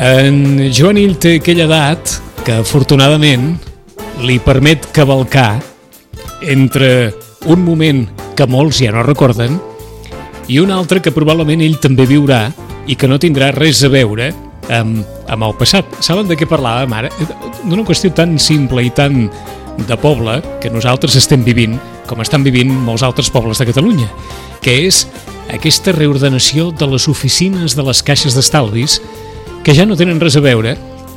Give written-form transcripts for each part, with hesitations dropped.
En Joan té aquella edat que afortunadament li permet cavalcar entre un moment que molts ja no recorden i un altre que probablement ell també viurà i que no tindrà res a veure amb el passat. Saben de què parlàvem ara? D'una qüestió tan simple i tan de poble que nosaltres estem vivint com estan vivint molts altres pobles de Catalunya, que és aquesta reordenació de les oficines de les caixes d'estalvis que ja no tenen res a veure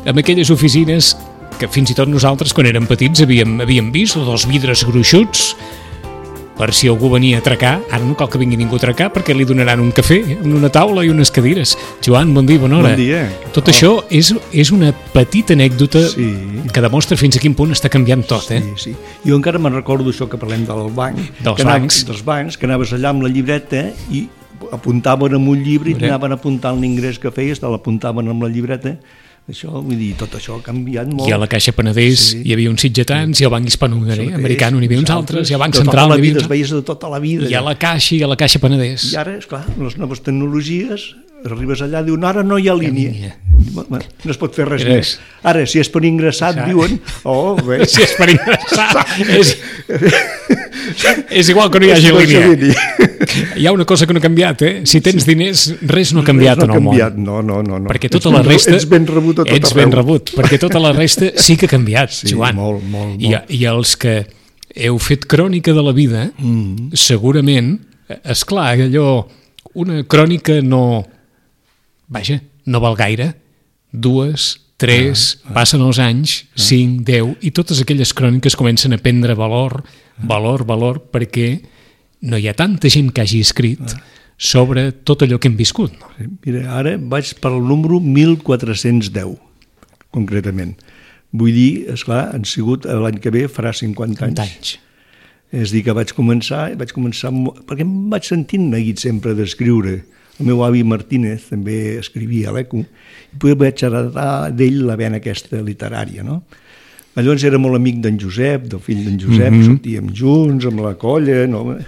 amb aquelles oficines que fins i tot nosaltres quan érem petits havíem vist, o dels vidres gruixuts per si algú venia a atracar. Ara no cal que vingui ningú a atracar perquè li donaran un cafè, una taula i unes cadires. Joan, bon dia, bona hora. Bon dia. Tot això és una petita anècdota que demostra fins a quin punt està canviant tot, eh? Sí. Jo encara me'n recordo això que parlem del banc. Dels bancs, que anaves allà amb la llibreta i apuntaven amb un llibre i anaven apuntant l'ingrés que feies, te l'apuntaven amb la llibreta. Això, vull dir, tot això ha canviat molt. I a la Caixa Penedès hi havia uns sitgetans, i al Banc Hispanoamericà n'hi havia uns altres, i al Banc Central n'hi havia uns altres. Es veies de tota la vida. I a la Caixa Penedès. I ara, esclar, les noves tecnologies, arribes allà, diuen, ara no hi ha línia. No es pot fer res més. Ara, si és per ingressat, diuen, bé. Si és per ingressar, és igual que no hi hagi línia. Hi ha una cosa que no ha canviat, Si tens diners, res no ha canviat en el món. No. Perquè tota la resta... Ets ben rebut a tot arreu. Ets ben rebut, perquè tota la resta sí que ha canviat, Joan. Molt. I els que heu fet crònica de la vida, segurament, esclar, allò, una crònica no val gaire. 2, 3, passen els anys, 5, 10, i totes aquelles cròniques comencen a prendre valor, perquè no hi ha tanta gent que hagi escrit sobre tot allò que hem viscut. No? Mira, ara vaig per al número 1410, concretament. Vull dir, esclar, han sigut l'any que ve farà 50 anys. És a dir, que vaig començar perquè em vaig sentint neguit sempre d'escriure. El meu avi Martínez també escrivia a l'Eco i vaig heretar d'ell la vena aquesta literària, no? Llavors era molt amic d'en Josep, del fill d'en Josep, sortíem junts amb la colla, no?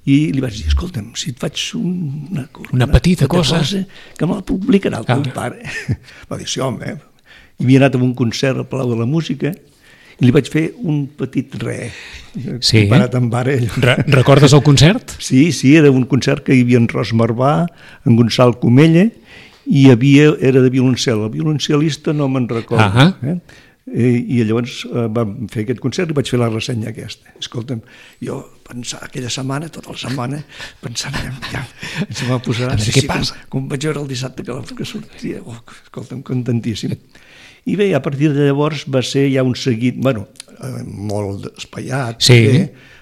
I li vaig dir, escolta'm, si et faig una petita cosa que me la publicarà el teu pare. Va dir, sí, home. I havia anat a un concert al Palau de la Música i li vaig fer un petit comparat amb ara. Recordes el concert? Sí, era un concert que hi havia en Ros Marvà, en Gonçal Comella, i era de violoncel. El violoncel·lista no me'n recordo. I llavors vam fer aquest concert i vaig fer la ressenya aquesta. Escolta'm, jo pensava aquella setmana, tota la setmana, pensant, ja, ens va posar... Què passa? Com vaig veure el dissabte que sortia, escolta'm, contentíssim. I bé, a partir de llavors va ser ja un seguit, molt espaiat,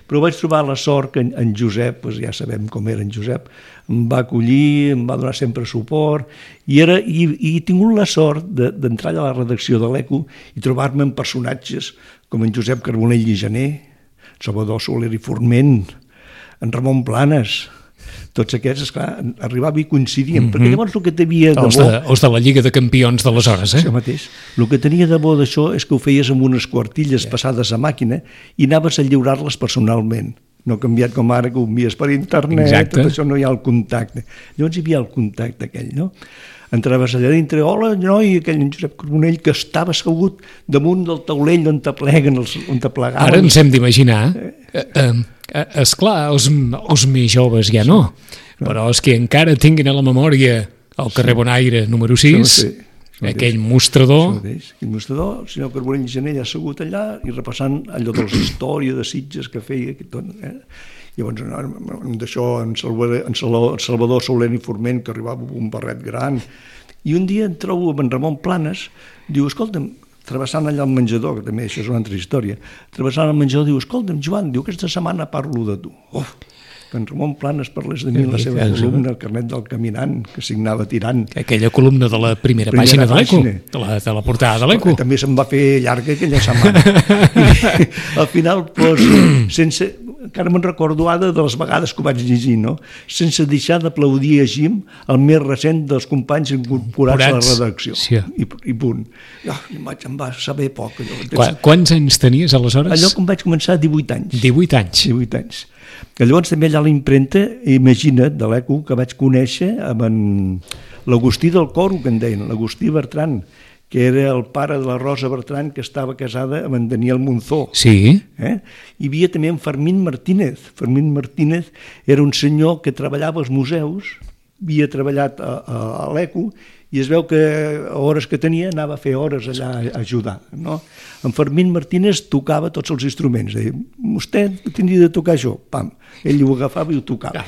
però vaig trobar la sort que en Josep, ja sabem com era en Josep, em va acollir, em va donar sempre suport, i he tingut la sort d'entrar a la redacció de l'Eco i trobar-me amb personatges com en Josep Carbonell i Gené, Salvador Soler i Forment, en Ramon Planes. Tots aquests, esclar, arribava i coincidíem, perquè llavors el que tenia de bo... Els de la Lliga de Campions d'aleshores, Això mateix. El que tenia de bo d'això és que ho feies amb unes quartilles passades a màquina i anaves a lliurar-les personalment. No ha canviat com ara, que ho envies per internet, tot això no hi ha el contacte. Llavors hi havia el contacte aquell, no? Entraves allà dintre, hola, noi, aquell en Josep Carbonell que estava assegut damunt del taulell on te pleguen, on te plegaven. Ara ens hem d'imaginar, esclar, els més joves ja no, però els que encara tinguin a la memòria el carrer Bonaire número 6, aquell mostrador... Aquell mostrador, el senyor Carbonell i Gené assegut allà i repassant allò de la història de Sitges que feia. Llavors, d'això, en Salvador Soler i Forment, que arribava amb un barret gran. I un dia em trobo amb en Ramon Planes, diu, escolta'm, travessant allà el menjador, que també això és una altra història, travessant el menjador, diu, escolta'm, Joan, diu, aquesta setmana parlo de tu. En Ramon Planes parlés de mi en la seva columna, el carnet del caminant, que signava tirant. Aquella columna de la primera pàgina de l'Eco, de la portada de l'Eco. També se'n va fer llarga aquella setmana. Al final, sense... Encara me'n recordo ara de les vegades que ho vaig llegir, no? Sense deixar d'aplaudir a Jim, el més recent dels companys incorporats a la redacció. I punt. Em va saber poc. Quants anys tenies aleshores? Allò que em vaig començar 18 anys. 18 anys. 18 anys. Que llavors també allà a l'impremta, imagina't, de l'ECO, que vaig conèixer amb l'Agustí del Coro, que en deien, l'Agustí Bertran, que era el pare de la Rosa Bertran, que estava casada amb en Daniel Monzó. Sí. Hi havia també en Fermín Martínez. Fermín Martínez era un senyor que treballava als museus, havia treballat a l'ECO, i es veu que a hores que tenia anava a fer hores allà a ajudar. No? En Fermín Martínez tocava tots els instruments. Deia, vostè tindria de tocar això. Pam. Ell ho agafava i ho tocava.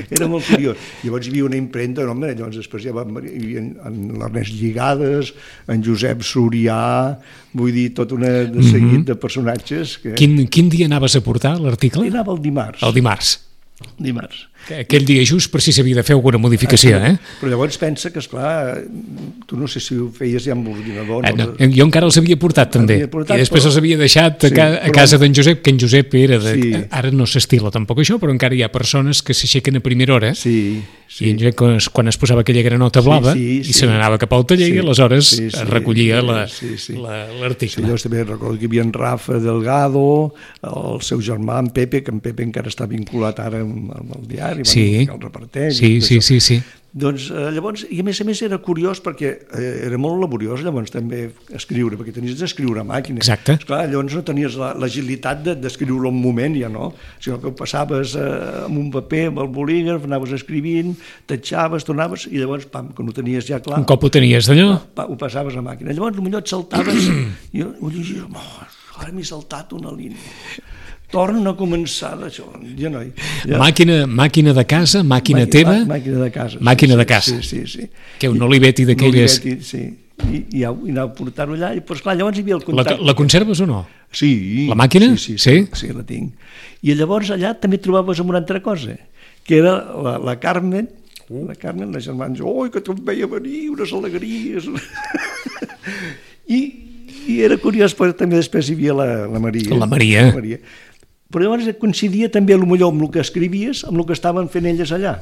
Era molt curiós. Llavors hi havia una impremta, no, llavors després hi havia en l'Ernest Lligades, en Josep Surià, vull dir, tot un seguit de personatges. Que... Quin dia anaves a portar l'article? Anava el dimarts. El dimarts. Dimarts. Aquell dia just per si s'havia de fer alguna modificació, Però llavors pensa que, esclar, tu no sé si ho feies ja amb l'ordinador. No, jo encara els havia portat, també. I després els havia deixat a casa d'en Josep, que en Josep era de... Sí. Ara no s'estila tampoc això, però encara hi ha persones que s'aixequen a primera hora, i en Josep, quan es posava aquella granota blava, i se n'anava cap al taller, i aleshores es recollia l'article. Sí, llavors també recordo que hi havia en Rafa Delgado, el seu germà, en Pepe, que en Pepe encara està vinculat ara amb el diari, que el reparteix. Sí. Doncs llavors, i a més era curiós perquè era molt laboriós llavors també escriure, perquè tenies d'escriure a màquina. Exacte. Esclar, llavors no tenies l'agilitat d'escriure un moment ja, no? Sinó que ho passaves amb un paper, amb el bolígraf, anaves escrivint, tatxaves, tornaves, i llavors, pam, quan ho tenies ja clar... Un cop ho tenies d'allò? Ho passaves a màquina. Llavors, potser et saltaves, i ho llegies, ara m'he saltat una línia. Torna a començar d'això. Ja no. Màquina de casa, màquina teva? Màquina de casa. Màquina de casa. Sí. Que un Olivetti d'aquelles... Sí. I anava a portar-ho allà. I, però, esclar, llavors hi havia el contacte. La conserves o no? Sí. La màquina? Sí, la tinc. I llavors allà també trobaves una altra cosa, que era la Carmen, la germana, oi, que te'n veia venir, unes alegries. I era curiós, però també després hi havia la Maria. La Maria. Però llavors coincidia també potser amb el que escrivies, amb el que estaven fent elles allà.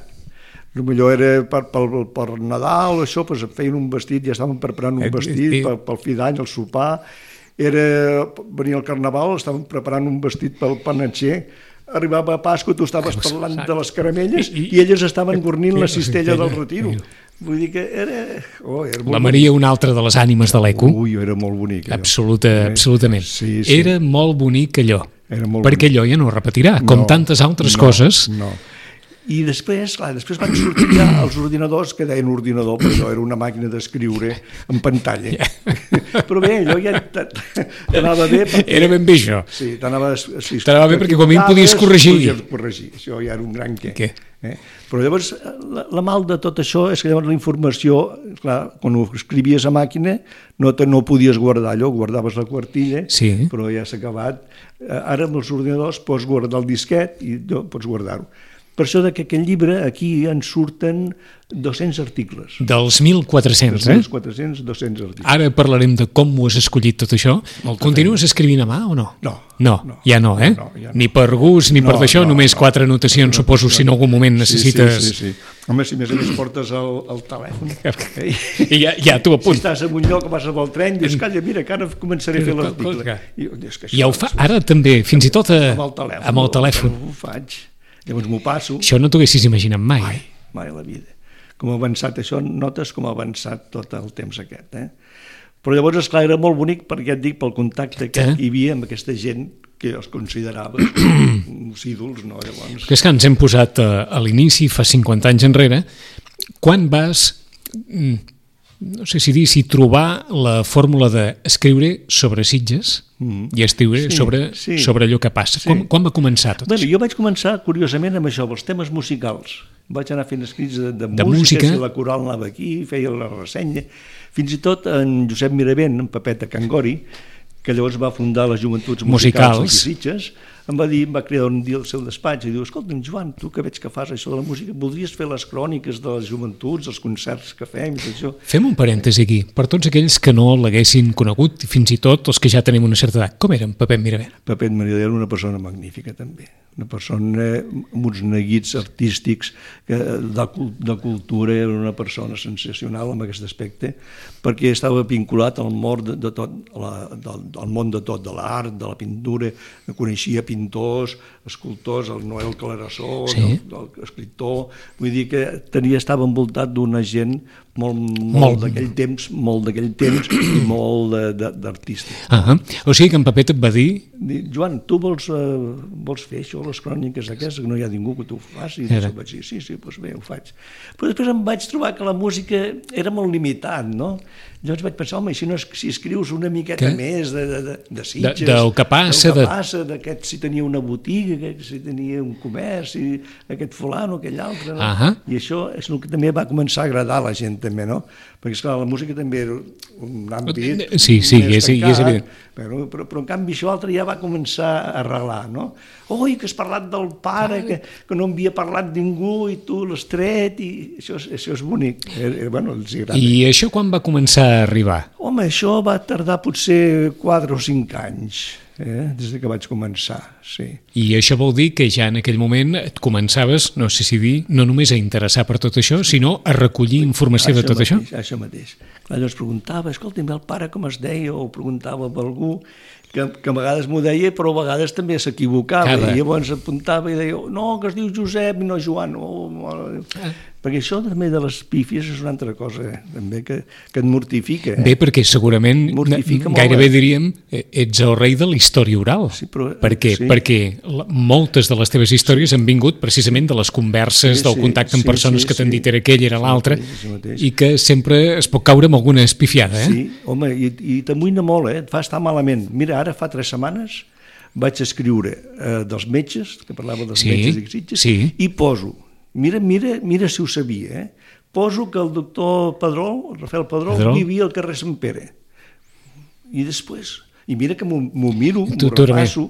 Potser era per Nadal, això, doncs feien un vestit, ja estaven preparant un vestit pel fi d'any, el sopar. Venia el Carnaval, estaven preparant un vestit pel panatxer. Arribava a Pasqua, tu estaves parlant de les caramelles i elles estaven gornint la cistella del retiro. Vull dir que era... La Maria, una altra de les ànimes de l'ECO. Ui, era molt bonic. Absolutament. Sí. Era molt bonic allò. Perquè allò ja no ho repetirà, com tantes altres coses. No. I després van sortir ja els ordinadors, que deien ordinador, però allò era una màquina d'escriure en pantalla. Però bé, allò ja t'anava bé. Era ben bé això. Sí, t'anava bé perquè com a mínim podies corregir. Això ja era un gran què. Però llavors, la mal de tot això és que llavors la informació, clar, quan ho escrivies a màquina, no podies guardar allò, guardaves la quartilla, però ja s'ha acabat. Ara amb els ordinadors pots guardar el disquet i pots guardar-ho. Per això que aquell llibre, aquí en surten 200 articles. Dels 1.400, Dels 1.400, 200 articles. Ara parlarem de com ho has escollit tot això. Continues escrivint a mà o no? No, ja no, eh? Ni per gust, ni per d'això, només 4 anotacions, suposo, si en algun moment necessites... Sí. Home, si més a més portes el telèfon... I ja t'ho apunts. Si estàs en un lloc, vas amb el tren, dius, calla, mira, que ara començaré a fer l'article. Ja ho fa, ara també, fins i tot amb el telèfon. Ho faig. Llavors m'ho passo. Això no t'ho haguessis imaginat mai. Mai a la vida. Com ha avançat això, notes com ha avançat tot el temps aquest. Però llavors, esclar, era molt bonic perquè et dic, pel contacte que hi havia amb aquesta gent que els considerava uns ídols, no? Llavors... És que ens hem posat a l'inici, fa 50 anys enrere, quan vas... no sé si dir, si trobar la fórmula d'escriure sobre Sitges i escriure sobre allò que passa. Quan va començar tot això? Jo vaig començar, curiosament, amb això, amb els temes musicals. Vaig anar fent escrits de música, si la coral anava aquí, feia la ressenya. Fins i tot en Josep Miravent, en Pepeta Cangori, que llavors va fundar les Joventuts Musicals aquí a Sitges, em va cridar un dia al seu despatx i diu, escolta'm, Joan, tu que veig que fas això de la música, voldries fer les cròniques de les joventuts, els concerts que fem i tot això? Fem un parèntesi aquí. Per tots aquells que no l'haguessin conegut, fins i tot els que ja tenim una certa edat, com era en Pepet Miravent? Pepet Miravent era una persona magnífica, també. Una persona amb uns neguits artístics de cultura, era una persona sensacional en aquest aspecte, perquè estava vinculat al món de tot, de l'art, de la pintura, coneixia pintors, pintors, escultors, el Noel Clarasó, Sí. l'escriptor, vull dir que estava envoltat d'una gent molt d'aquell temps i molt d'artistes. O sigui que en Pepet et va dir... Joan, tu vols fer això, les cròniques aquestes, que no hi ha ningú que t'ho faci? I vaig dir, sí, doncs bé, ho faig. Però després em vaig trobar que la música era molt limitat, no? Llavors vaig pensar, home, si escrius una miqueta més de Sitges, del que passa, d'aquest si tenia una botiga, aquest si tenia un comerç, aquest fulano, aquell altre, no? I això és el que també va començar a agradar a la gent, també, no? Perquè, esclar, la música també era un àmbit és evident. Però en canvi això altre ja va començar a arrelar, no? Oi, que has parlat del pare, que no havia parlat ningú i tu l'has tret, i això és bonic. Bueno, els agrada. I això quan va començar a arribar? Home, això va tardar potser 4 o 5 anys, des que vaig començar, sí. I això vol dir que ja en aquell moment et començaves, no sé si dir, no només a interessar per tot això, sinó a recollir informació de tot això? Això mateix. Clar, llavors preguntava, escolta'm, el pare com es deia, o preguntava per algú, que a vegades m'ho deia, però a vegades també s'equivocava, i llavors apuntava i deia, no, que es diu Josep i no Joan, perquè això també de les pífies és una altra cosa també que et mortifica. Bé, perquè segurament gairebé diríem ets el rei de la història oral. Per què? Perquè moltes de les teves històries han vingut precisament de les converses, del contacte amb persones que t'han dit era aquell, era l'altre, i que sempre es pot caure amb alguna espifiada. Sí, home, i t'amoïna molt, et fa estar malament. Mira, ara fa 3 setmanes vaig escriure dels metges, que parlava dels metges i Sitges, i poso, mira si ho sabia, poso que el doctor Pedrol, Rafael Pedrol, vivia al carrer Sant Pere. I després, i mira que m'ho miro, m'ho repasso,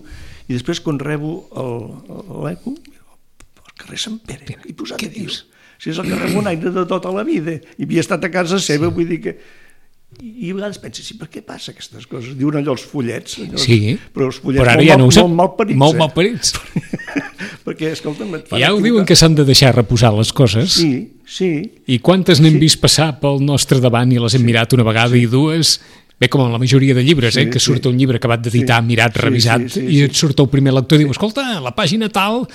i després quan rebo l'eco, al carrer Sant Pere, i posat a dir, si és el carrer Bonaire de tota la vida, i havia estat a casa seva, vull dir que... I a vegades penses, per què passa aquestes coses? Diuen allò els follets, però els follets molt malparits. Molt malparits. Perquè, escolta'm, ja ho diuen que s'han de deixar reposar les coses. Sí. I quantes n'hem vist passar pel nostre davant i les hem mirat una vegada i dues... Bé, com en la majoria de llibres, que surt un llibre acabat d'editar, mirat, revisat, i et surt el primer lector i diu, escolta, la pàgina tal...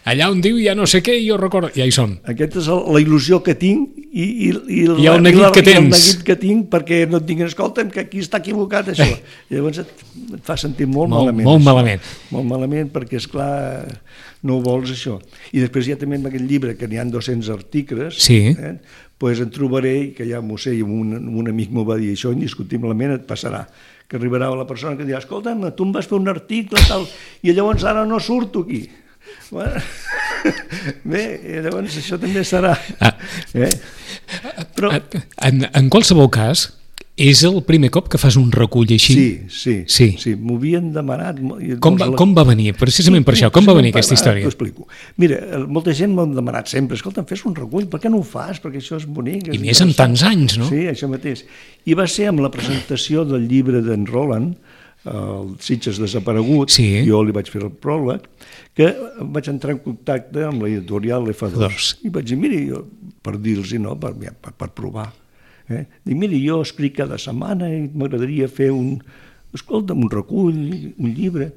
Allà on diu ja no sé què, jo recordo... Ja hi som. Aquesta és la il·lusió que tinc i el neguit que tens. El neguit que tinc perquè no et diguin, escolta'm, que aquí està equivocat això. I llavors et fa sentir molt malament. Molt malament. Molt malament perquè, esclar, no ho vols això. I després ja també en aquest llibre, que n'hi ha 200 articles, doncs en trobaré, que ja m'ho sé, i un amic m'ho va dir, això indiscutiblement et passarà, que arribarà la persona que dirà, escolta'm, tu em vas fer un article tal, i llavors ara no surto aquí. Bé, llavors això també serà. Però en qualsevol cas, és el primer cop que fas un recull així? Sí, m'ho havien demanat. Com va venir? Precisament per això, com va venir aquesta història? T'ho explico. Mira, molta gent m'ha demanat sempre, escolta'm, fes un recull, per què no ho fas? Perquè això és bonic. I més en tants anys, no? Sí, això mateix. I va ser amb la presentació del llibre d'en Roland, el Sitges desaparegut, jo li vaig fer el pròleg, que vaig entrar en contacte amb l'editorial F2 i vaig dir, miri, per dir-los, no, per provar, dic, miri, jo escric cada setmana i m'agradaria fer un recull, un llibre.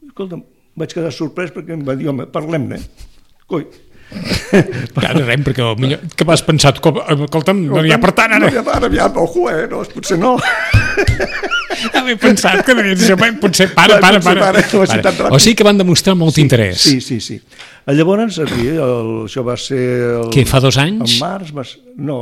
Escolta'm, vaig quedar sorprès perquè em va dir, home, parlem-ne. Coi, perquè potser que m'has pensat, escolta'm, no n'hi ha per tant ara. Ara aviam, ojo, no, potser no. Havia pensat que potser para. O sigui que van demostrar molt interès. Sí. Llavors, això va ser... Què, fa 2 anys? En març, no,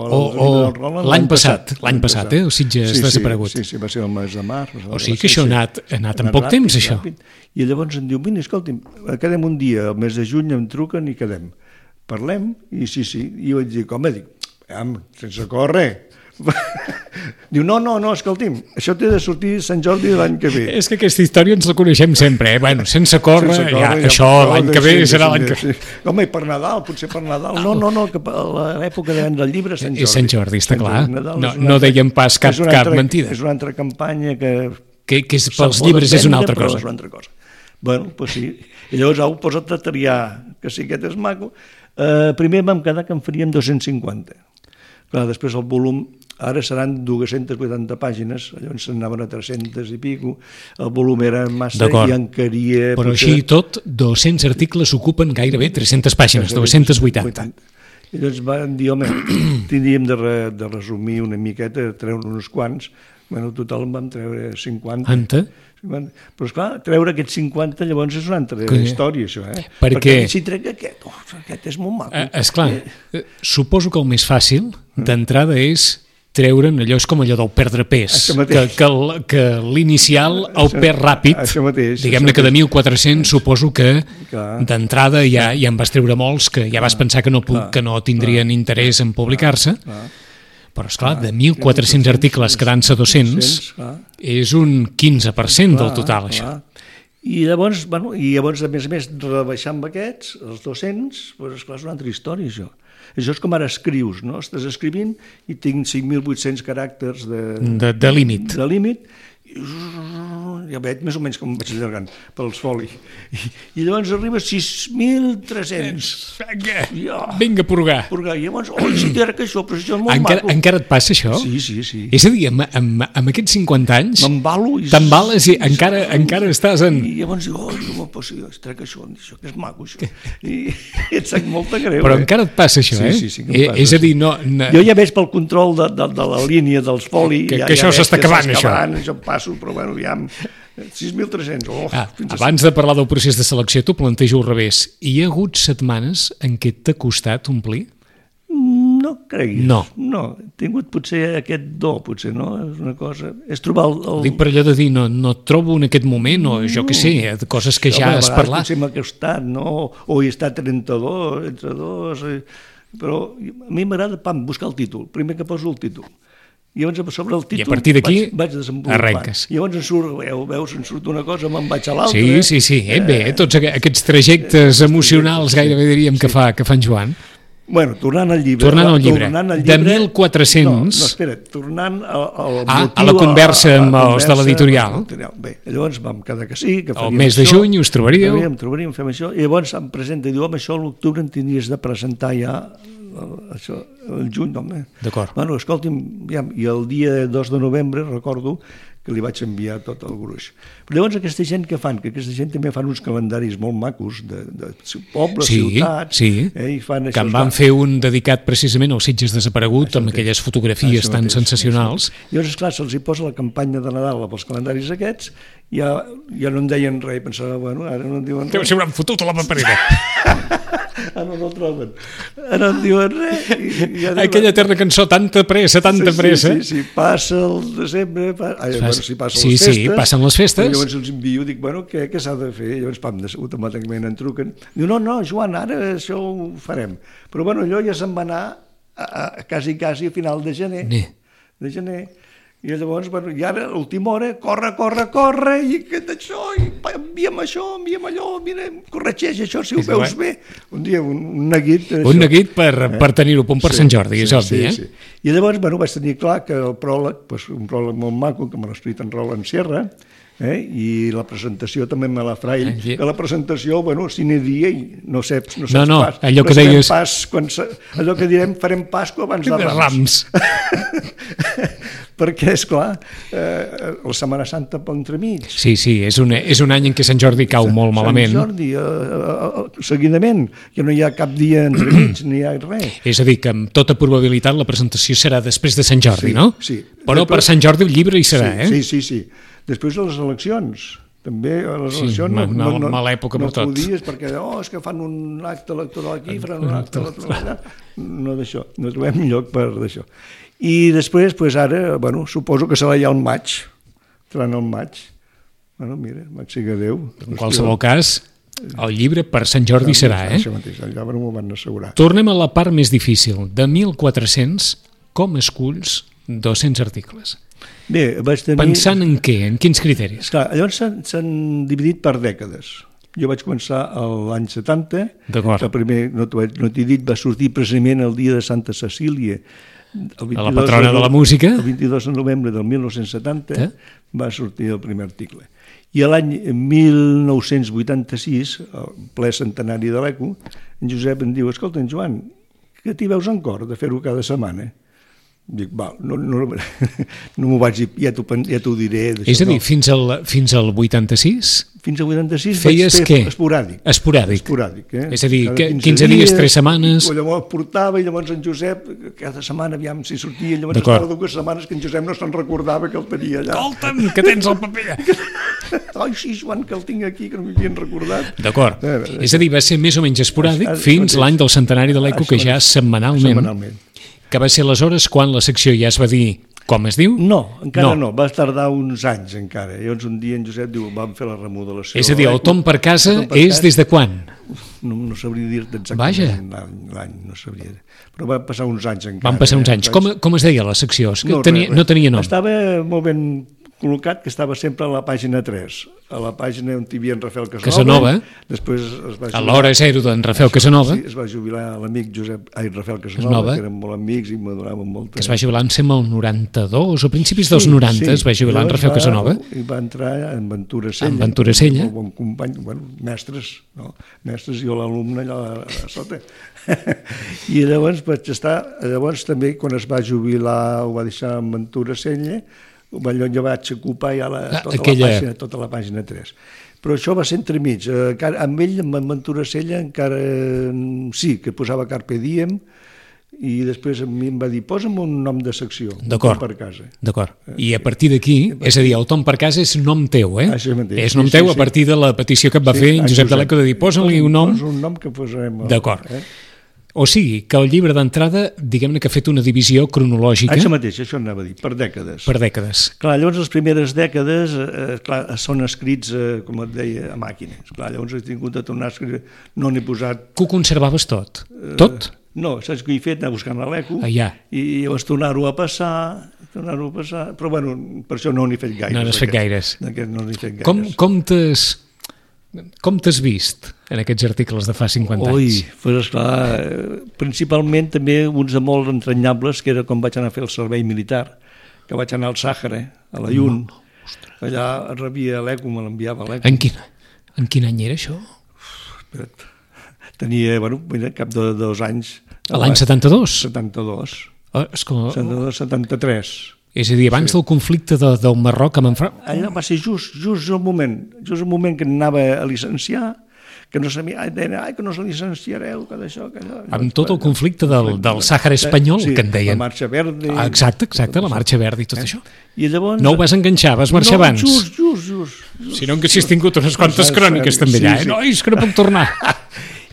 l'any passat, el Sitges desaparegut. Sí, va ser el mes de març. O sigui que això ha anat en poc temps, això. I llavors em diu, vine, escolti'm, quedem un dia, el mes de juny em truquen i quedem. Parlem, i sí, i jo vaig dir, com? Dic, sense córrer. Diu, no, escolti'm, això té de sortir Sant Jordi de l'any que ve. És que aquesta història ens la coneixem sempre, Bueno, sense córrer, això l'any que ve serà l'any que ve. Home, i per Nadal, potser per Nadal. No, que a l'època de vendre el llibre és Sant Jordi. És Sant Jordi, està clar. No dèiem pas cap mentida. És una altra campanya que és pels llibres és una altra cosa. Bueno, doncs sí. I llavors ho posa't a triar, que sí, aquest és maco. Primer vam quedar que en faríem 250. Clar, després el volum ara seran 280 pàgines, llavors s'anaven a 300 i pico, el volum era massa i encaria... Però així i tot, 200 articles ocupen gairebé 300 pàgines, 280. I llavors van dir, home, tindríem de resumir una miqueta, treure uns quants, bueno, total en vam treure 50. Però esclar, treure aquests 50 llavors és una altra història, això, perquè si trec aquest és molt maco. Esclar, suposo que el més fàcil d'entrada és treure'n allò, és com allò del perdre pes, que l'inicial el perd ràpid, diguem-ne que de 1.400 suposo que d'entrada ja en vas treure molts que ja vas pensar que no tindrien interès en publicar-se, però esclar, de 1.400 articles quedant-se 200 és un 15% del total, això. I llavors, a més, rebaixar amb aquests, els 200, doncs esclar, és una altra història, això. Això és com ara escrius, no? Estàs escrivint i tinc 5.800 caràcters de límit. Ja veig més o menys com vaig allargant pels folis. I llavors arriba a 6.300. Vinga, purgar. I llavors, si crec que això, però això és molt maco. Encara et passa això? Sí. És a dir, amb aquests 50 anys... M'embalo. T'embales i encara estàs en... I llavors dic, trec això, que és maco, això. I et sap molta greu. Però encara et passa això, Sí, que em passa. És a dir, no... Jo ja veig pel control de la línia dels folis... Que això s'està acabant, això. Això em passo, però bueno, ja... 6.300. Abans de parlar del procés de selecció, t'ho plantejo al revés. Hi ha hagut setmanes en què t'ha costat omplir? No creguis. No. He tingut potser aquest do, potser, no? És una cosa... És trobar el... Dic per allò de dir, no et trobo en aquest moment, o jo què sé, de coses que ja has parlat. Potser m'ha costat, no? O hi està 32, entre dos... Però a mi m'agrada, buscar el títol. Primer que poso el títol. I llavors sobre el títol i a partir d'aquí arrenques. I llavors em surt una cosa, me'n vaig a l'altra. Sí. Bé, tots aquests trajectes emocionals gairebé diríem que fa en Joan. Bueno, tornant al llibre. De 1.400... No, espera, tornant al motiu... A la conversa amb els de l'editorial. Bé, llavors vam quedar que sí, que faríem el mes de juny us trobaríeu. Fem això, i llavors em presenta i diu, home, això a l'octubre en tindries de presentar ja això, el juny, home. D'acord. Bueno, escolti'm, i el dia 2 de novembre recordo que li vaig enviar tot el gruix. Però llavors aquesta gent què fan? Que aquesta gent també fan uns calendaris molt macos de pobles, ciutats... i fan això, que en van fer un dedicat precisament als Sitges desaparegut, amb aquelles fotografies tan sensacionals. Llavors, esclar, se'ls hi posa la campanya de Nadal pels calendaris aquests, ja no en deien res, pensava, bueno, ara no en diuen res. Deu ser un fotut a la paperera. Ara no el troben. Ara no en diuen res. Aquella eterna cançó, tanta pressa. Sí, passa el desembre, si passen les festes. Sí, passen les festes. Llavors els envio, dic, bueno, què s'ha de fer? Llavors, automàticament en truquen. Diu, no, Joan, ara això ho farem. Però, bueno, allò ja se'n va anar quasi a final de gener. I llavors, bueno, i ara, a l'última hora, corre, i això, i envia'm això, envia'm allò, mira, corregeix això, si ho veus bé. Un dia, un neguit... Un neguit per tenir-ho a punt per Sant Jordi, és obvi, Sí. I llavors, bueno, vaig tenir clar que el pròleg, un pròleg molt maco, que me l'ha escrit en Roland Sierra, i la presentació també me la fra ell, que la presentació, bueno, sine dia i no saps pas. Allò que deies... Allò que direm, farem Pasqua abans de Rams. Perquè, esclar, la Setmana Santa per entremig. Sí, és un any en què Sant Jordi cau molt malament. Sant Jordi, seguidament, que no hi ha cap dia entremig, ni hi ha res. És a dir, que amb tota probabilitat la presentació serà després de Sant Jordi, no? Sí. Però per Sant Jordi el llibre hi serà, Sí. Després de les eleccions. També a les eleccions mala època per tot. No podies perquè és que fan un acte electoral aquí, faran un acte electoral allà. No d'això, no trobem lloc per d'això. I després, ara, bueno, suposo que serà ja el maig. Seran el maig. Bueno, mira, maig siga Déu. En qualsevol cas, el llibre per Sant Jordi serà, Això mateix, allà m'ho van assegurar. Tornem a la part més difícil. De 1.400, com esculls 200 articles? Bé, vaig tenir... Pensant en què? En quins criteris? Clar, llavors s'han dividit per dècades. Jo vaig començar l'any 70, que primer, no t'he dit, va sortir precisament el dia de Santa Cecília, la patrona de la música. El 22 de novembre del 1970 va sortir el primer article. I l'any 1986, el ple centenari de l'ECO, en Josep em diu, escolta, Joan, que t'hi veus en cor de fer-ho cada setmana? Dic, val, no m'ho vaig dir, ja t'ho diré. És a dir, fins al 86? Fins al 86 feies vaig fer esporàdic. Esporàdic, És a dir, 15 dies, 3 setmanes... Llavors portava, i llavors en Josep, cada setmana, aviam si sortia, llavors estava 2 setmanes que en Josep no se'n recordava que el tenia allà. Escolta'm, que tens el paper! Ai, sí, Joan, que el tinc aquí, que no m'hi havien recordat. D'acord. És a dir, va ser més o menys esporàdic fins l'any del centenari de l'ECO, que ja setmanalment. Que va ser aleshores quan la secció ja es va dir com es diu? No, encara no. Va tardar uns anys encara. Llavors un dia en Josep diu, vam fer la remodelació. És a dir, el Tom per casa és des de quan? No sabria dir-te exactament l'any, no sabria. Però va passar uns anys encara. Van passar uns anys. Com es deia la secció? No tenia nom. Estava molt ben col·locat, que estava sempre a la pàgina 3, a la pàgina on hi havia en Rafael Casanova. Després es va jubilar... A l'hora zero d'en Rafael Casanova. Sí, es va jubilar l'amic Rafael Casanova, que eren molt amics i m'adoraven molt. Que es va jubilar, em sembla, el 92, o principis dels 90, es va jubilar en Rafael Casanova. I va entrar en Ventura Sella. En Ventura Sella. Un bon company, mestres, no? Mestres, jo l'alumne allà a sota. I llavors vaig estar... Llavors també, quan es va jubilar, ho va deixar en Ventura Sella, jo vaig ocupar ja tota la pàgina 3. Però això va ser entremig. Amb ell, amb Ventura Sella, encara sí, que posava Carpe Diem, i després a mi em va dir, posa'm un nom de secció, Tom per casa. D'acord. I a partir d'aquí, és a dir, el Tom per casa és nom teu, eh? Això mateix. És nom teu a partir de la petició que et va fer en Josep de l'Eco de dir, posa-li un nom. Posa un nom que posarem. D'acord. O sigui, que el llibre d'entrada, diguem-ne que ha fet una divisió cronològica... Això mateix, això anava a dir, per dècades. Per dècades. Clar, llavors les primeres dècades són escrits, com et deia, a màquina. Clar, llavors he tingut de tornar a escriure, no n'he posat... Que ho conservaves tot? Tot? No, saps què he fet? Anar buscant a l'ECO i llavors tornar-ho a passar, però bueno, per això no n'he fet gaires. No n'has fet gaires. No n'he fet gaires. Com t'has vist en aquests articles de fa 50 anys? Pues esclar, principalment també uns de molt entranyables, que era com vaig anar a fer el servei militar, que vaig anar al Sàhara, a la Llun, allà rebia l'ECO, me l'enviava a l'ECO. En quin any era això? Espera't, tenia, cap de 2 anys. A l'any 72? 72. 73. És a dir, abans del conflicte del Marroc amb en França... Allò va ser just el moment que anava a llicenciar, que no sabia, que no se llicenciareu, que d'això, que allò... Amb tot el conflicte del Sàhara espanyol, que en deien. La Marxa Verda... Exacte, la Marxa Verda i tot això. I llavors... No ho vas enganxar, vas marxar abans. Just. Si no, que si has tingut unes quantes cròniques també allà, no, és que no puc tornar.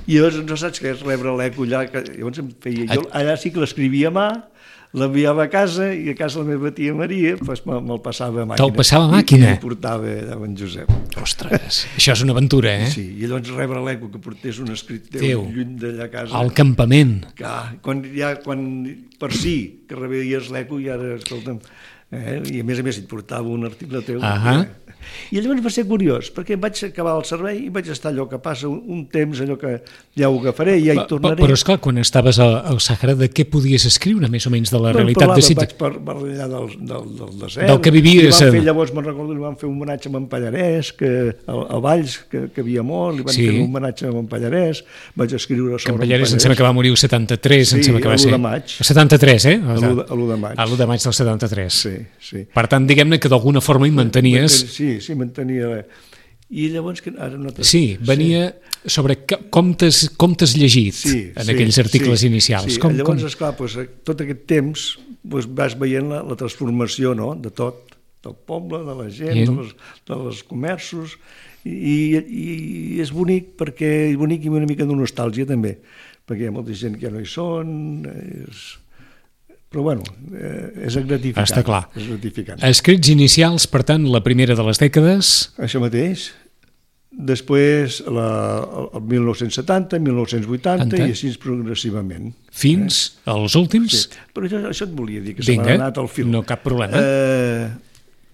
I llavors no saps què és rebre l'ECO allà, llavors em feia... Jo allà sí que l'escrivia a mà, l'enviava a casa i a casa la meva tia Maria me'l passava a màquina. Te'l passava a màquina? I el portava a en Josep. Ostres, això és una aventura, eh? Sí, i llavors rebre l'ECO que portés un escrit teu lluny d'allà a casa. Al campament. Quan per si que rebeies l'ECO i ara, escolta'm, i a més et portava un article teu. I llavors va ser curiós, perquè vaig acabar el servei i vaig estar allò que passa un temps, allò que ja ho agafaré i ja hi tornaré. Però esclar, quan estaves al Sàhara, de què podies escriure, més o menys, de la realitat de Sitges? Vaig parlar del desert. Del que vivies. Llavors me'n recordo, li van fer un homenatge a en Pallarès, a Valls, que havia mort, li van fer un homenatge a en Pallarès, vaig escriure sobre en Pallarès. Em sembla que va morir el 73, em sembla que va ser. A l'1 de maig. El 73, eh? A l'1 de maig. A l'1 de maig del 73. Sí. Per tant, diguem-ne que d'alguna forma hi mantenies... Sí, mantenia. I llavors... Sí, venia sobre com t'has llegit en aquells articles inicials. Llavors, esclar, tot aquest temps vas veient la transformació de tot, del poble, de la gent, dels comerços, i és bonic i una mica de nostàlgia també, perquè hi ha molta gent que ja no hi són, però bueno, és gratificant. Està clar. Escrits inicials, per tant, la primera de les dècades... Això mateix. Després, el 1970, 1980 i així progressivament. Fins als últims? Sí. Però això et volia dir, que se m'ha anat al fil. No, cap problema.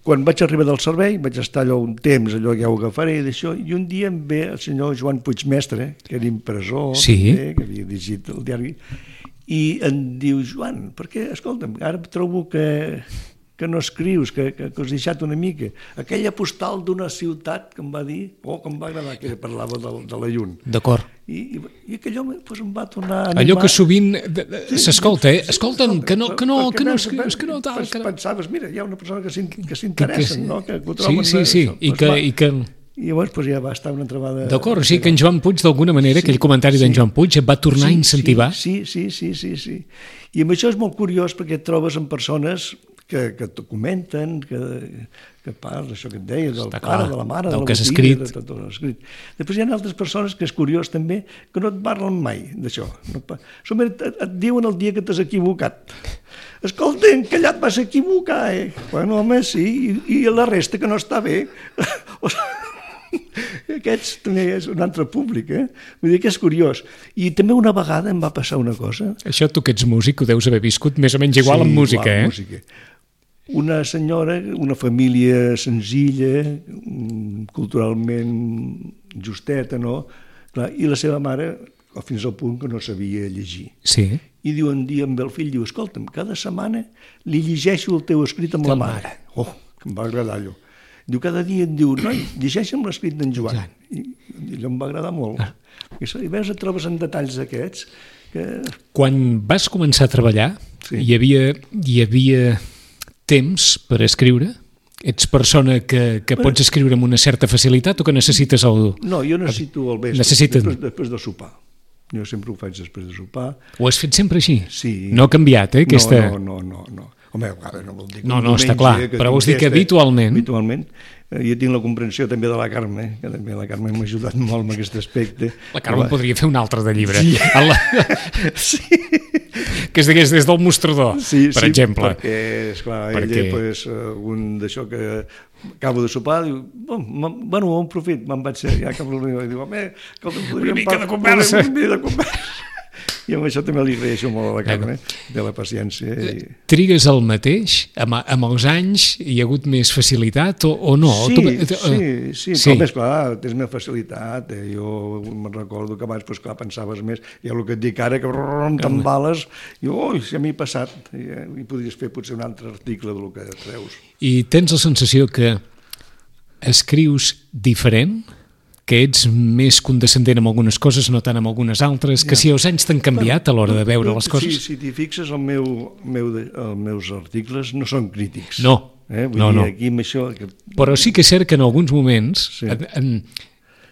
Quan vaig arribar del servei, vaig estar allò un temps, allò que ja ho agafaré, d'això, i un dia em ve el senyor Joan Puigmestre, que era impressor, que havia dirigit el diari, i em diu, Joan, perquè, escolta'm, ara trobo que que no escrius, que has deixat una mica. Aquella postal d'una ciutat que em va dir, que em va agradar, que parlava de la llum. D'acord. I aquellò em va tornar a animar. Allò que sovint s'escolta, escolta'm, que no escrius, que no tal... Pensaves, mira, hi ha una persona que s'interessa, no? Que ho troben... Sí, i que... I llavors ja va estar una trobada... D'acord, o sigui que en Joan Puig, d'alguna manera, aquell comentari d'en Joan Puig et va tornar a incentivar? Sí. I amb això és molt curiós perquè et trobes amb persones que t'ho comenten, que parles, això que et deia, del pare, de la mare, del de la que has botiga, escrit. de tot l'escrit. Després hi ha altres persones, que és curiós també, que no et parlen mai d'això. Et diuen el dia que t'has equivocat. Escolta, que allà et vas equivocar, Bueno, home, sí, i la resta que no està bé. Aquests també és un altre públic, Vull dir que és curiós. I també una vegada em va passar una cosa. Això tu que ets músic ho deus haver viscut més o menys igual amb música, amb música. Una senyora, una família senzilla, culturalment justeta, no? Clar, i la seva mare, fins al punt que no sabia llegir. Sí. I diu un dia amb el fill, diu, escolta'm, cada setmana li llegeixo el teu escrit amb la mare. Que em va agradar allò. Diu, cada dia em diu, noi, llegeixa'm l'escrit d'en Joan. I allò em va agradar molt. I veus, et trobes en detalls aquests que... Quan vas començar a treballar, hi havia temps per escriure? Ets persona que pots escriure amb una certa facilitat o que necessites el... No, jo necessito el vespre, després de sopar. Jo sempre ho faig després de sopar. Ho has fet sempre així? Sí. No ha canviat, aquesta... No. Home, a vegades no vol dir... No, està clar, però vols dir que habitualment... Habitualment. Jo tinc la comprensió també de la Carme, que també la Carme m'ha ajudat molt en aquest aspecte. La Carme podria fer un altre de llibre. Sí. Que es digués des del mostrador, per exemple. Perquè, esclar, ella, un d'això que acabo de sopar, diu, bueno, un profit, me'n vaig ser, ja acabo de diu, home, una mica de conversa. I amb això també li agraeixo molt a la Carme, de la paciència. Trigues el mateix? Amb els anys hi ha hagut més facilitat o no? Sí, com és clar, tens més facilitat. Jo me'n recordo que abans, clar, pensaves més, i el que et dic ara, que t'embales, i si a mi ha passat, i podries fer potser un altre article del que treus. I tens la sensació que escrius diferent? Que ets més condescendent amb algunes coses, no tant amb algunes altres, que si els anys t'han canviat a l'hora de veure les coses? Si t'hi fixes, els meus articles no són crítics. No, Vull dir, aquí amb això... Però sí que és cert que en alguns moments...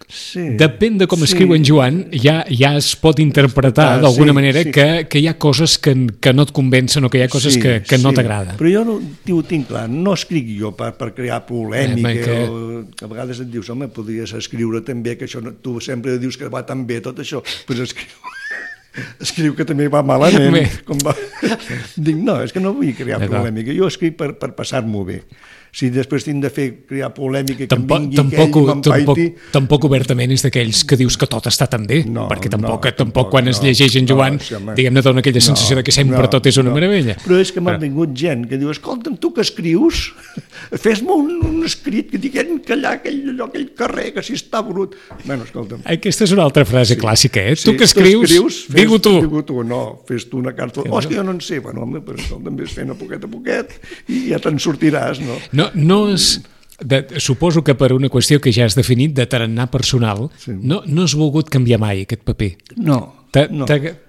Depèn de com escriu en Joan, ja es pot interpretar d'alguna manera que hi ha coses que no et convencen o que hi ha coses que no t'agraden. Però jo ho tinc clar, no escric jo per crear polèmica, a vegades et dius, home, podries escriure també, que això tu sempre dius que va tan bé tot això, doncs escriu que també va malament. Dic, no, és que no vull crear polèmica, jo escric per passar-m'ho bé. Si després tinc de crear polèmica, que em vingui aquell i m'empaiti... Tampoc obertament és d'aquells que dius que tot està tan bé, perquè tampoc quan es llegeix en Joan, diguem-ne, dona aquella sensació que sempre tot és una meravella. Però és que m'ha vingut gent que diu, escolta'm, tu que escrius, fes-me un escrit que diguem que allà, aquell carrer, que si està brut... Bueno, escolta'm... Aquesta és una altra frase clàssica, Tu que escrius, digue-ho tu. Digue-ho tu, no, fes tu una carta... és que jo no en sé, bueno, home, però escolta'm, ves fent a poquet i ja te'n sortiràs, no? No és... Suposo que per una qüestió que ja has definit de tarannà personal, no has volgut canviar mai aquest paper. No. T'ha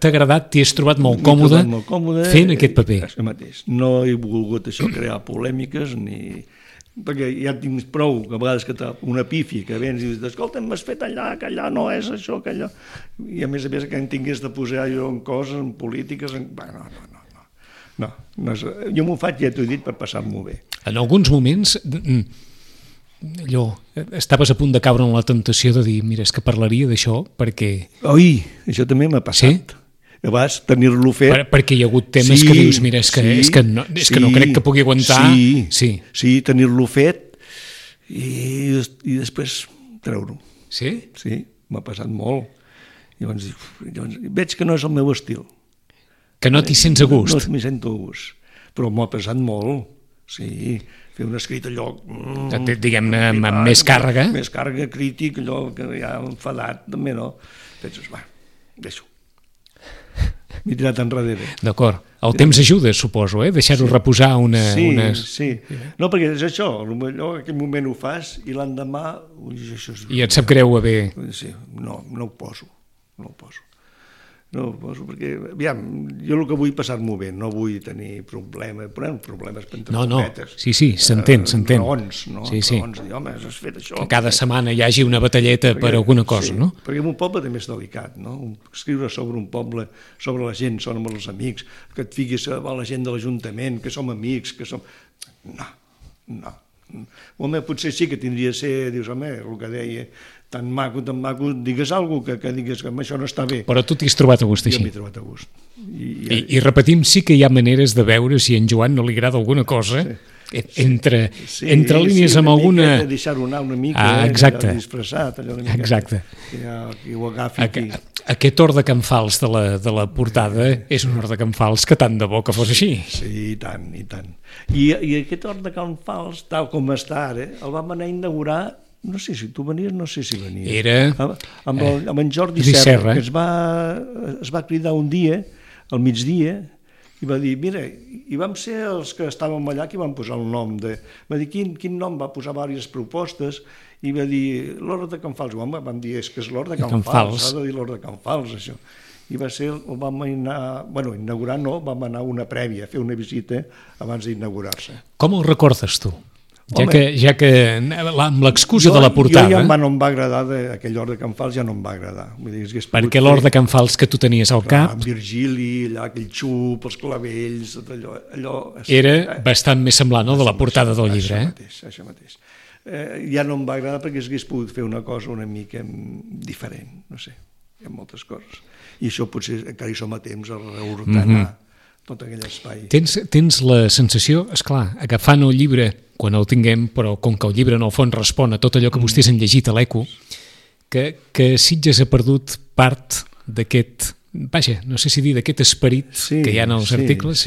agradat, t'hi has trobat molt còmode fent aquest paper. Això mateix. No he volgut això crear polèmiques ni... Perquè ja tinc prou, que a vegades que una pífia que vens i dius, escolta, m'has fet allà, que allà no és això, que allò... I a més que em tingués de posar jo en coses, en polítiques... No, jo m'ho faig, ja t'ho he dit, per passar-m'ho bé. En alguns moments, estaves a punt de caure en la tentació de dir, mira, és que parlaria d'això perquè... Oi, això també m'ha passat. A vegades tenir-lo fet... Perquè hi ha hagut temes que dius, mira, és que no crec que pugui aguantar... Sí, tenir-lo fet i després treure-ho. Sí? Sí, m'ha passat molt. Llavors veig que no és el meu estil. Que no t'hi sents a gust. No m'hi sento a gust, però m'ho ha passat molt, sí, fer un escrit allò... Diguem-ne, amb més càrrega. Més càrrega, crític, allò que ja enfadat, també no. Penses, va, deixo. m'he tirat enrere. D'acord. El temps ajuda, suposo, deixar-ho reposar Sí. No, perquè és això, potser en aquell moment ho fas i l'endemà... I et sap greu haver... Sí, no ho poso. No ho poso perquè, aviam, jo el que vull passar-m'ho bé, no vull tenir problemes per entre cometes. Sí, s'entén. Raons, no? Sí. Raons, dir, home, has fet això. Que cada setmana hi hagi una batalleta per alguna cosa, no? Perquè en un poble també és delicat, no? Escriure sobre un poble, sobre la gent, són amb els amics, que et fiquis a la gent de l'Ajuntament, que som amics, que som... No. Home, potser sí que tindria a ser, dius, home, el que deia... tan maco, digues alguna cosa que digues que això no està bé. Però tu t'hi has trobat a gust així. Jo m'he trobat a gust. I repetim, sí que hi ha maneres de veure si a en Joan no li agrada alguna cosa, entre línies amb alguna... Sí, deixar-ho anar una mica, disfressat, allò una mica. Exacte. Que ho agafi aquí. Aquest or de Can Fals de la portada és un or de Can Fals que tant de bo que fos així. Sí, i tant. I aquest or de Can Fals, tal com està ara, el vam anar a inaugurar. No sé si tu venies, no sé si venies. Era... Amb en Jordi Serra, que es va cridar un dia, al migdia, i va dir, mira, i vam ser els que estàvem allà que van posar el nom de... Va dir, quin nom? Va posar diverses propostes, i va dir, l'Hort de Can Fals. Home, vam dir, és que és l'Hort de Can Fals, s'ha de dir l'Hort de Can Fals, això. I va ser, vam anar... Bueno, inaugurar no, vam anar una prèvia, a fer una visita abans d'inaugurar-se. Com el recordes tu? Ja que amb l'excusa de la portada... Jo ja no em va agradar, aquell Hort de Can Fals ja no em va agradar. Perquè l'Hort de Can Fals que tu tenies al cap... Amb Virgili, allà, aquell xup, els clavells, tot allò... Era bastant més semblant, no?, de la portada del llibre, Això mateix. Ja no em va agradar perquè hagués pogut fer una cosa una mica diferent, no sé, hi ha moltes coses. I això potser encara hi som a temps a reordenar tot aquell espai. Tens la sensació, esclar, agafant el llibre quan el tinguem, però com que el llibre en el fons respon a tot allò que vostès han llegit a l'Eco, que Sitges ha perdut part d'aquest, vaja, no sé si dir d'aquest esperit que hi ha en els articles.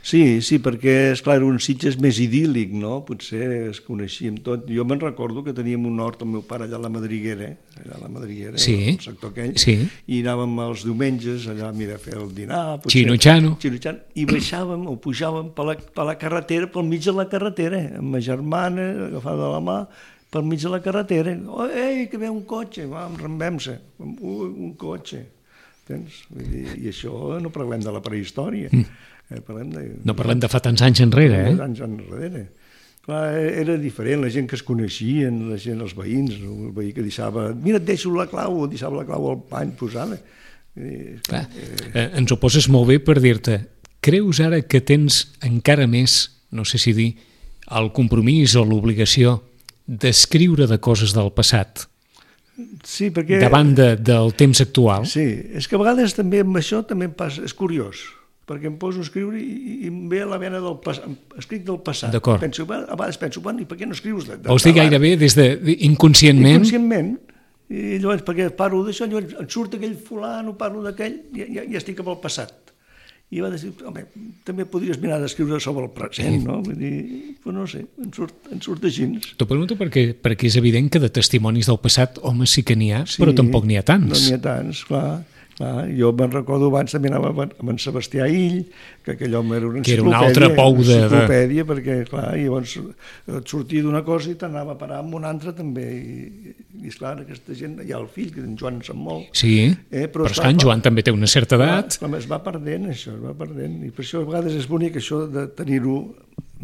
Sí, perquè, esclar, era un Sitges més idíl·lic, no? Potser es coneixíem tot. Jo me'n recordo que teníem un hort, el meu pare, allà a la Madriguera, al sector aquell, i anàvem els diumenges allà a fer el dinar, Xino-xano, i baixàvem o pujàvem per la carretera, pel mig de la carretera, amb ma germana, agafada de la mà, pel mig de la carretera. Ei, que ve un cotxe, enrambem-se, un cotxe. I això no parlem de la prehistòria. No parlem de fa tants anys enrere, Anys enrere. Clar, era diferent, la gent que es coneixien, la gent, els veïns, el veí que deixava... Mira, et deixo la clau, deixava la clau al pany posada. Ens ho poses molt bé per dir-te, creus ara que tens encara més, no sé si dir, el compromís o l'obligació d'escriure de coses del passat? Sí, perquè... Davant del temps actual? Sí, és que a vegades també amb això també em passa, és curiós, perquè em poso a escriure i em ve a la vena del passat, escric del passat. D'acord. A vegades penso, bueno, i per què no escrius Vols dir gairebé des inconscientment? Inconscientment, i llavors perquè parlo d'això, llavors em surt aquell fulano, parlo d'aquell, ja estic amb el passat. I va dir, home, també podries mirar d'escriure sobre el present, no? Vull dir, però no sé, em surt així. T'ho pregunto perquè és evident que de testimonis del passat, home, sí que n'hi ha, però tampoc n'hi ha tants. No n'hi ha tants, clar. Jo me'n recordo abans també anava amb en Sebastià Ill, que aquell home era una enciclopèdia. Que era un altre pou enciclopèdia, perquè, clar, llavors et sortia d'una cosa i t'anava a parar amb una altra també. I esclar, aquesta gent, hi ha el fill, que en Joan se'n molt. Sí, però esclar, en Joan també té una certa edat. Es va perdent, això, I per això a vegades és bonic això de tenir-ho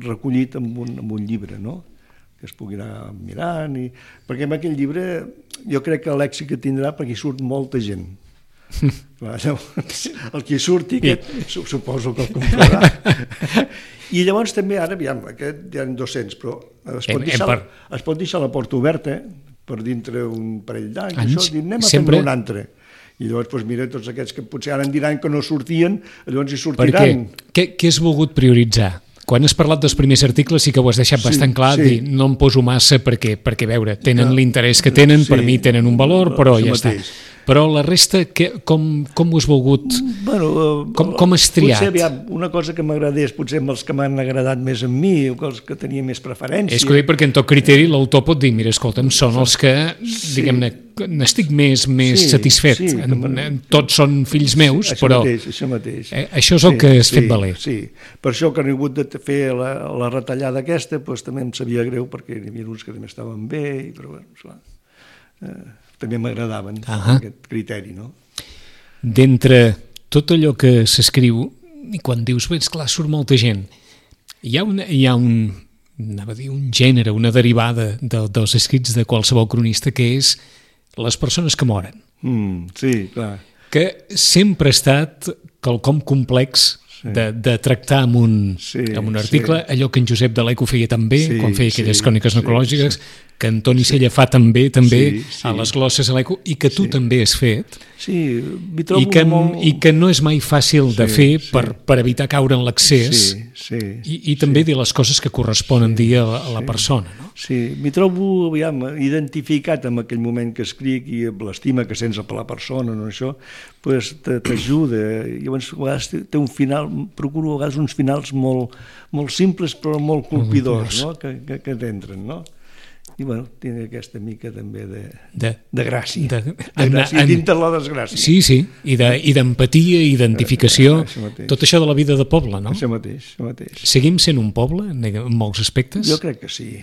recollit en un llibre, no? Que es pugui anar mirant. Perquè en aquell llibre jo crec que l'èxit que tindrà perquè hi surt molta gent. El que surti suposo que el comprarà. I llavors també ara, aviam, aquest hi ha 200, però es pot deixar la porta oberta per dintre un parell d'anys, anem a fer un altre. I llavors, mira, tots aquests que potser ara en diran que no sortien, llavors hi sortiran. Què has volgut prioritzar? Quan has parlat dels primers articles sí que ho has deixat bastant clar, dir, no em poso massa perquè veure, tenen l'interès que tenen, per mi tenen un valor, però ja està. Però la resta, com ho has volgut? Com has triat? Potser una cosa que m'agradés, potser amb els que m'han agradat més amb mi, o els que tenia més preferència. És que perquè en tot criteri l'autor pot dir, mira, escolta'm, són els que, diguem-ne, n'estic més satisfet. Tots són fills meus, però això mateix. Això és el que has fet valer. Sí, per això que he hagut de fer la retallada aquesta, doncs també em sabia greu, perquè hi havia uns que també estaven bé, però bueno, esclar, també m'agradaven aquest criteri, no? D'entre tot allò que s'escriu, i quan dius, bé, esclar, surt molta gent, hi ha un gènere, una derivada dels escrits de qualsevol cronista, que és les persones que moren. Sí, clar. Que sempre ha estat quelcom complex de tractar amb un article, allò que en Josep de l'Eco feia tan bé, quan feia aquelles cròniques necrològiques, que Antoni Sella fa també a les glosses a l'Eco, i que tu també has fet, i que no és mai fàcil de fer per evitar caure en l'accés, i també dir les coses que corresponen dir a la persona. No? Sí, m'hi trobo identificat amb aquell moment que escric i amb l'estima que sents per la persona, no, això, pues, t'ajuda. I llavors a vegades té un final, procuro a vegades uns finals molt simples però molt colpidors, no? que t'entren, no? I bueno, tinc aquesta mica també de gràcia, dintre la desgràcia. Sí, i d'empatia, identificació, tot això de la vida de poble, no? Això mateix. Seguim sent un poble en molts aspectes? Jo crec que sí,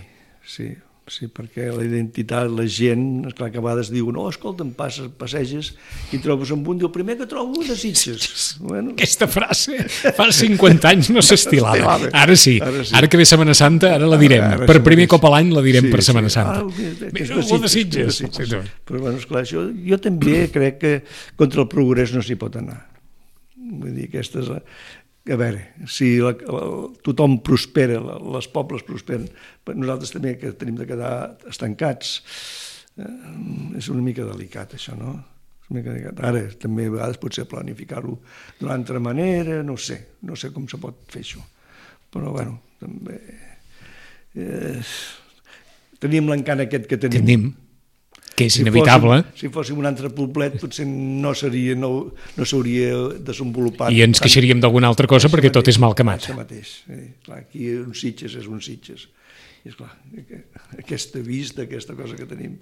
perquè la identitat, la gent, esclar que a vegades diu, no, escolta'm, passeges i trobes amb un, diu, primer que trobo de Sitges. Bueno. Aquesta frase fa 50 anys no s'estilava. Ara sí, ara que ve Setmana Santa, ara la direm. Per primer cop a l'any la direm per Setmana Santa. Algú de Sitges. Però bueno, esclar, jo també crec que contra el progrés no s'hi pot anar. Vull dir, aquestes... A veure, si tothom prospera, els pobles prosperen, nosaltres també que tenim de quedar estancats, és una mica delicat això, no? Ara també a vegades potser planificar-ho d'una altra manera, no sé com se pot fer això, però bueno, també tenim l'encant aquest que tenim. Que és inevitable. Si fóssim un altre poblet potser no s'hauria desenvolupat. I ens queixaríem d'alguna altra cosa perquè tot és mal que mata. Això mateix. Aquí un Sitges és un Sitges. I esclar, aquesta vista, aquesta cosa que tenim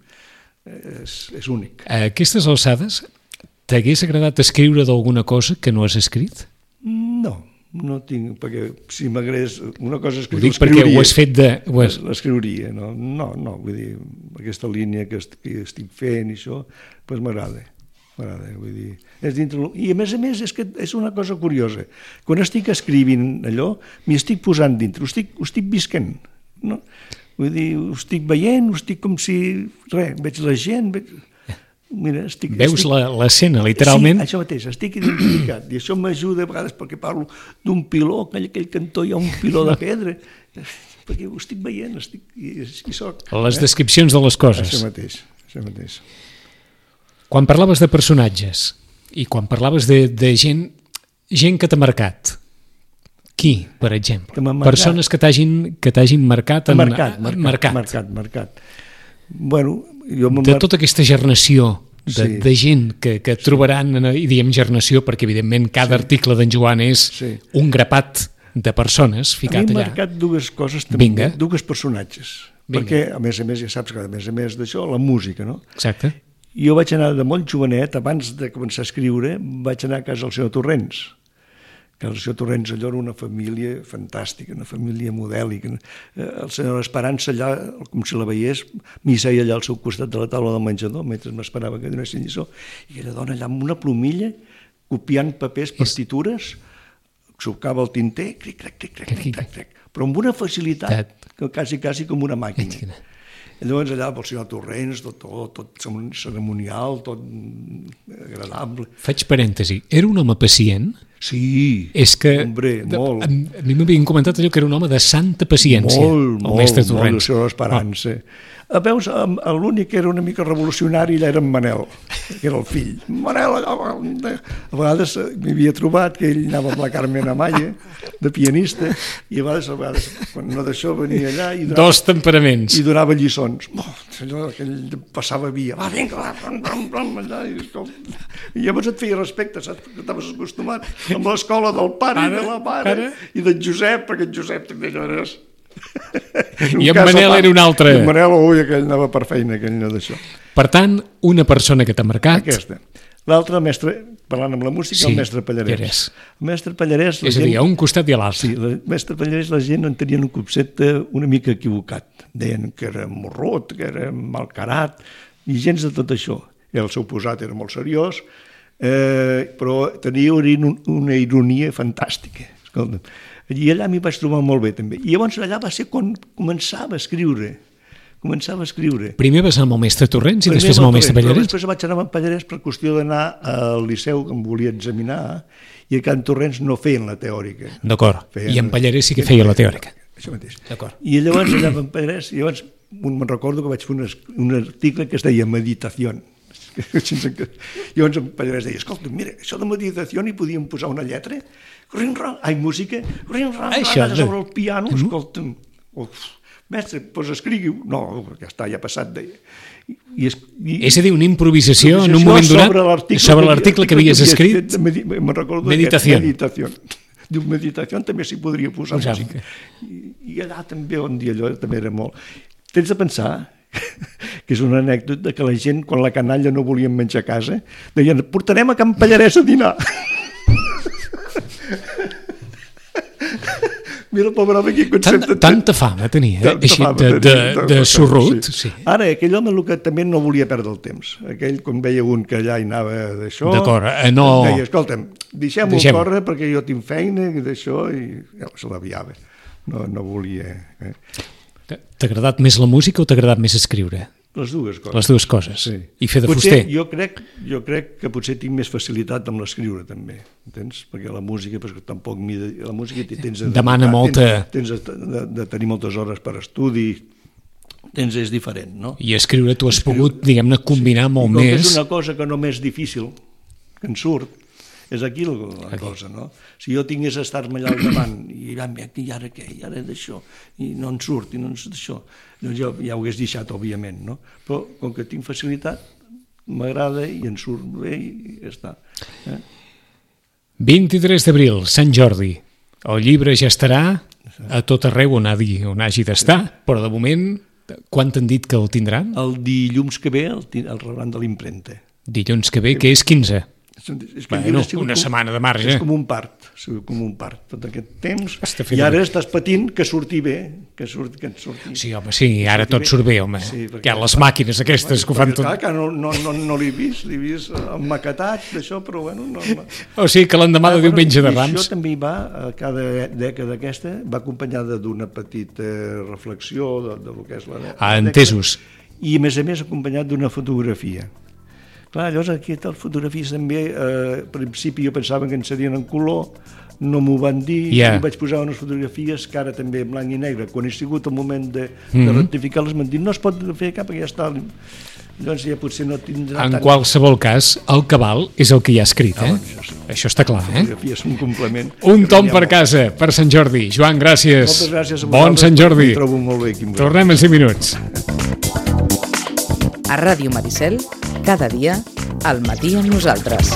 és únic. A aquestes alçades, t'hagués agradat escriure d'alguna cosa que no has escrit? No tinc, perquè si m'agradés una cosa escriuria... Ho dic perquè ho has fet de... L'escriuria, no, vull dir, aquesta línia que estic fent i això, doncs m'agrada, vull dir... I a més, és que és una cosa curiosa. Quan estic escrivint allò, m'hi estic posant dintre, ho estic visquent, no? Vull dir, ho estic veient, ho estic com si... veig la gent... Mira, veus l'escena, literalment? Sí, això mateix, estic identificat, i això m'ajuda a vegades perquè parlo d'un piló, aquell cantó hi ha un piló de pedra, perquè ho estic veient, i soc. Les descripcions de les coses. Això mateix. Quan parlaves de personatges, i quan parlaves de gent que t'ha marcat, qui, per exemple? Persones que t'hagin marcat. Marcat. Bueno, de tota aquesta gernació de gent que trobaran, i diem gernació perquè evidentment cada article d'en Joan és un grapat de persones ficat allà. A mi m'ha marcat dues coses també, dues personatges, perquè a més ja saps que a més d'això la música, no? Exacte. Jo vaig anar de molt jovenet, abans de començar a escriure, vaig anar a casa del senyor Torrents. Que el senyor Torrents allò era una família fantàstica, una família modèlica. El senyor Esperança allà, com si la veiés, m'hi seia allà al seu costat de la taula del menjador, mentre m'esperava que donessin lliçó, i aquella dona allà amb una plomilla, copiant papers, partitures, sucava el tinter, cric, però amb una facilitat, quasi com una màquina. I llavors allà pel senyor Torrents, tot ceremonial, tot agradable. Faig parèntesi, era un home pacient? Sí, és que, hombre, molt. A mi m'havien comentat allò que era un home de santa paciència. Molt, el senyor Esperança. Veus, l'únic que era una mica revolucionari allà era en Manel, que era el fill. Manel, a vegades m'hi havia trobat que ell anava amb la Carmen Amaya, de pianista, i a vegades quan no d'això venia allà i dos temperaments. I donava lliçons. allò que ell passava via, va, vinga, va, allà, i llavors et feia respecte, saps? Perquè estaves acostumat amb l'escola del pare i de la mare i del Josep, perquè el Josep també allò eres... I en Manel era un altre. I en Manel, ui, aquell anava per feina, aquell no d'això. Per tant, una persona que t'ha marcat... Aquesta. L'altre, mestre, parlant amb la música, el mestre Pallarès. El mestre Pallarès... És a dir, a un costat i a l'altre. Sí, el mestre Pallarès, la gent en tenien un concepte una mica equivocat. Deien que era morrut, que era malcarat, i gens de tot això. El seu posat era molt seriós, però tenia una ironia fantàstica. Escolta, i allà m'hi vaig trobar molt bé, també. I llavors allà va ser quan començava a escriure. Primer vas anar amb el mestre Torrents i després amb el mestre Pallarès? Després vaig anar amb el Pallarès per qüestió d'anar al Liceu, que em volia examinar, i a Can Torrents no feien la teòrica. D'acord, i en Pallarès sí que feia la teòrica. Això mateix. I llavors allà amb el Pallarès, llavors me'n recordo que vaig fer un article que es deia Meditació. Llavors el Pallarès deia, escolta, mira, això de meditació hi podíem posar una lletra, música, sobre el piano, escolta'm, mestre, doncs escrigui-ho. No, ja està, ja ha passat, deia. És a dir, una improvisació en un moment donat sobre l'article que havies escrit. Me'n recordo Meditació. Diu, meditació també s'hi podria posar música. I allà també, un dia allò també era molt... Tens de pensar que és una anècdota que la gent, quan la canalla no volien menjar a casa, deien, portarem a Can Pallarès a dinar. Mira, pobre home, quin concepte... Tanta fama tenia, així, de sorrut. Sí. Ara, aquell home el que també no volia perdre el temps. Aquell, quan veia un que allà hi anava d'això... D'acord, no... Deia, escolta'm, deixem-ho córrer perquè jo tinc feina i d'això, i se l'aviava. No volia... T'ha agradat més la música o t'ha agradat més escriure? Les dues coses. Les dues coses. Sí. I fer de fuster. Jo crec que potser tinc més facilitat amb l'escriure, també. Entens? Perquè la música, tampoc... La música tens demana molta... Tens de tenir moltes hores per estudi. És diferent, no? I escriure tu has pogut, diguem-ne, combinar molt més... És una cosa que només és difícil, que en surt, és aquí la cosa, no? Si jo tingués a estar-me allà al davant i ara què, i ara d'això, i no en surt, i no en surt d'això, doncs jo ja ho hagués deixat, òbviament, no? Però com que tinc facilitat, m'agrada i en surt bé i ja està. 23 d'abril, Sant Jordi. El llibre ja estarà a tot arreu on hagi d'estar, però de moment, quan t'han dit que el tindran? El dilluns que ve el rebran de l'impremta. Dilluns que ve, que és 15. Bueno, una setmana de marge. És com un part, tot aquest temps, i ara estàs patint que surti bé, que surti. Sí, home, sí, ara tot surt bé, home. Hi ha les màquines aquestes que ho fan tot. Clar, no l'he vist emmaquetat, d'això, però bueno... O sigui que l'endemà de diumenge de Rams... Això també va, cada dècada aquesta, va acompanyada d'una petita reflexió del que és la dècada. Entesos. I a més acompanyat d'una fotografia. Clar, llavors aquí les fotografies també, al principi jo pensava que en serien en color, no m'ho van dir, i vaig posar unes fotografies que ara també en blanc i negre. Quan he sigut el moment de rectificar-les m'han dit no es pot fer cap perquè ja està... Llavors ja potser no tindrà... En qualsevol cas, el cabal és el que hi ha escrit, Això està clar, Les fotografies són un complement. Un tom per casa, per Sant Jordi. Joan, gràcies. Moltes gràcies a vosaltres. Bon Sant Jordi. Em trobo molt bé aquí. Tornem en 5 minuts. A Ràdio Maricel, cada dia, al matí amb nosaltres.